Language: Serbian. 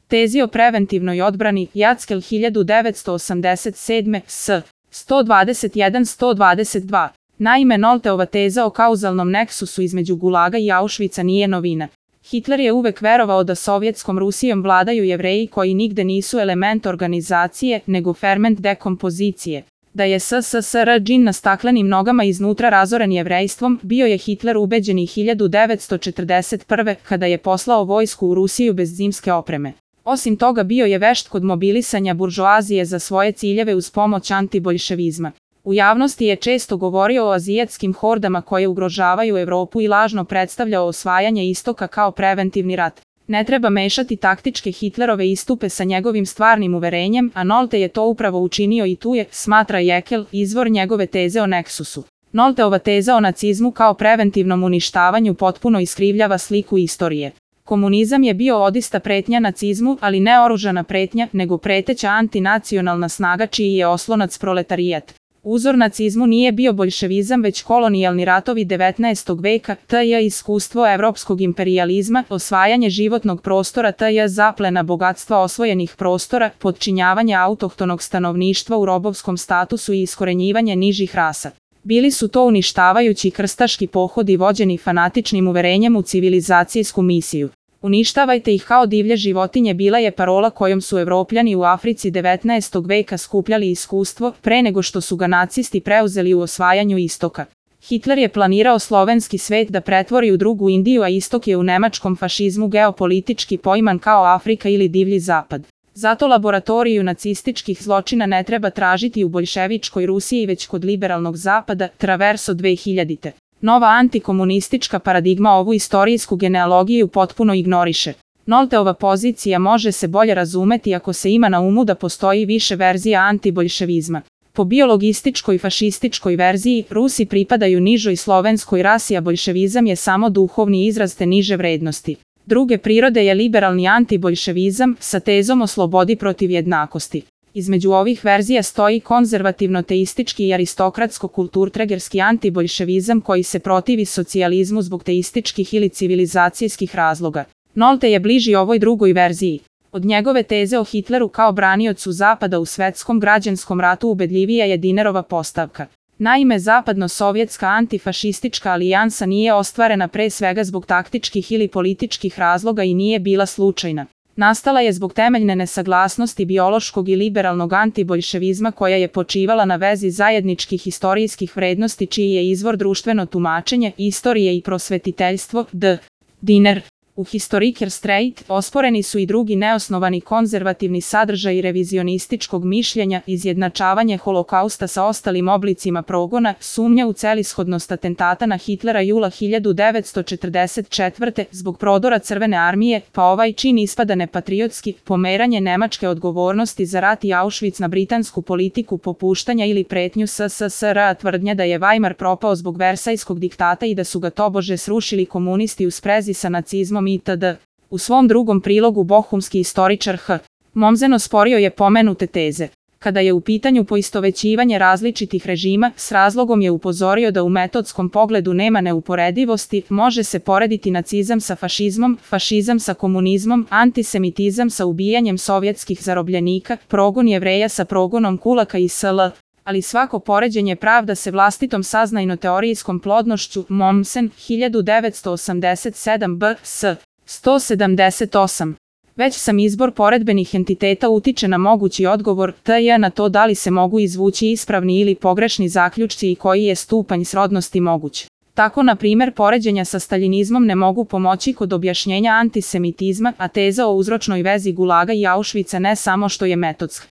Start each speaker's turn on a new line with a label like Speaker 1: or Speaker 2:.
Speaker 1: Tezi o preventivnoj odbrani, Jackel 1987, s. 121-122. Naime, Nolteova teza o kauzalnom neksusu između Gulaga i Auschwitza nije novina. Hitler je uvek verovao da Sovjetskom Rusijom vladaju Jevreji koji nigde nisu element organizacije, nego ferment dekompozicije. Da je SSSR džin na staklenim nogama iznutra razoren jevrejstvom, bio je Hitler ubeđen i 1941. kada je poslao vojsku u Rusiju bez zimske opreme. Osim toga bio je vešt kod mobilisanja buržoazije za svoje ciljeve uz pomoć antiboljševizma. U javnosti je često govorio o azijatskim hordama koje ugrožavaju Evropu i lažno predstavljao osvajanje istoka kao preventivni rat. Ne treba mešati taktičke Hitlerove istupe sa njegovim stvarnim uverenjem, a Nolte je to upravo učinio i tu je, smatra Jeckel, izvor njegove teze o neksusu. Nolteova teza o nacizmu kao preventivnom uništavanju potpuno iskrivljava sliku istorije. Komunizam je bio odista pretnja nacizmu, ali ne oružana pretnja, nego preteća antinacionalna snaga čiji je oslonac proletarijat. Uzor nacizmu nije bio boljševizam već kolonijalni ratovi 19. veka, t.j. iskustvo evropskog imperijalizma, osvajanje životnog prostora t.j. zaplena bogatstva osvojenih prostora, podčinjavanje autohtonog stanovništva u robovskom statusu i iskorenjivanje nižih rasa. Bili su to uništavajući krstaški pohodi vođeni fanatičnim uverenjem u civilizacijsku misiju. Uništavajte ih kao divlje životinje bila je parola kojom su Evropljani u Africi 19. veka skupljali iskustvo pre nego što su ga nacisti preuzeli u osvajanju istoka. Hitler je planirao slovenski svet da pretvori u drugu Indiju, a istok je u nemačkom fašizmu geopolitički poiman kao Afrika ili divlji zapad. Zato laboratoriju nacističkih zločina ne treba tražiti u boljševičkoj Rusiji već kod liberalnog zapada, Traverso 2000. Nova antikomunistička paradigma ovu istorijsku genealogiju potpuno ignoriše. Nolteova pozicija može se bolje razumeti ako se ima na umu da postoji više verzija antiboljševizma. Po biologističkoj fašističkoj verziji, Rusi pripadaju nižoj slovenskoj rasi, a boljševizam je samo duhovni izraz te niže vrednosti. Druge prirode je liberalni antiboljševizam sa tezom o slobodi protiv jednakosti. Između ovih verzija stoji konzervativno-teistički i aristokratsko-kulturtregerski antiboljševizam koji se protivi socijalizmu zbog teističkih ili civilizacijskih razloga. Nolte je bliži ovoj drugoj verziji. Od njegove teze o Hitleru kao braniocu Zapada u svetskom građanskom ratu ubedljivija je Dinerova postavka. Naime, zapadno-sovjetska antifašistička alijansa nije ostvarena pre svega zbog taktičkih ili političkih razloga i nije bila slučajna. Nastala je zbog temeljne nesaglasnosti biološkog i liberalnog antiboljševizma koja je počivala na vezi zajedničkih istorijskih vrednosti čiji je izvor društveno tumačenje, istorije i prosvetiteljstvo, d. Diner. U Historiker Streit osporeni su i drugi neosnovani konzervativni sadržaji revizionističkog mišljenja, izjednačavanje holokausta sa ostalim oblicima progona, sumnja u celishodnost atentata na Hitlera jula 1944. zbog prodora Crvene armije, pa ovaj čin ispada nepatriotski, pomeranje nemačke odgovornosti za rat i Auschwitz na britansku politiku popuštanja ili pretnju SSSR, tvrdnja da je Weimar propao zbog Versajskog diktata i da su ga tobože srušili komunisti u sprezi sa nacizmom itd. U svom drugom prilogu bohumski istoričar H. Mommsen osporio je pomenute teze. Kada je u pitanju poistovećivanje različitih režima, s razlogom je upozorio da u metodskom pogledu nema neuporedivosti, može se porediti nacizam sa fašizmom, fašizam sa komunizmom, antisemitizam sa ubijanjem sovjetskih zarobljenika, progon Jevreja sa progonom kulaka i sl. Ali svako poređenje pravda se vlastitom saznajno-teorijskom plodnošću. Mommsen, 1987 b.s. 178. Već sam izbor poredbenih entiteta utiče na mogući odgovor t.j. na to da li se mogu izvući ispravni ili pogrešni zaključci i koji je stupanj srodnosti moguć. Tako, na primjer, poređenja sa staljinizmom ne mogu pomoći kod objašnjenja antisemitizma, a teza o uzročnoj vezi Gulaga i Auschwitza ne samo što je metodska,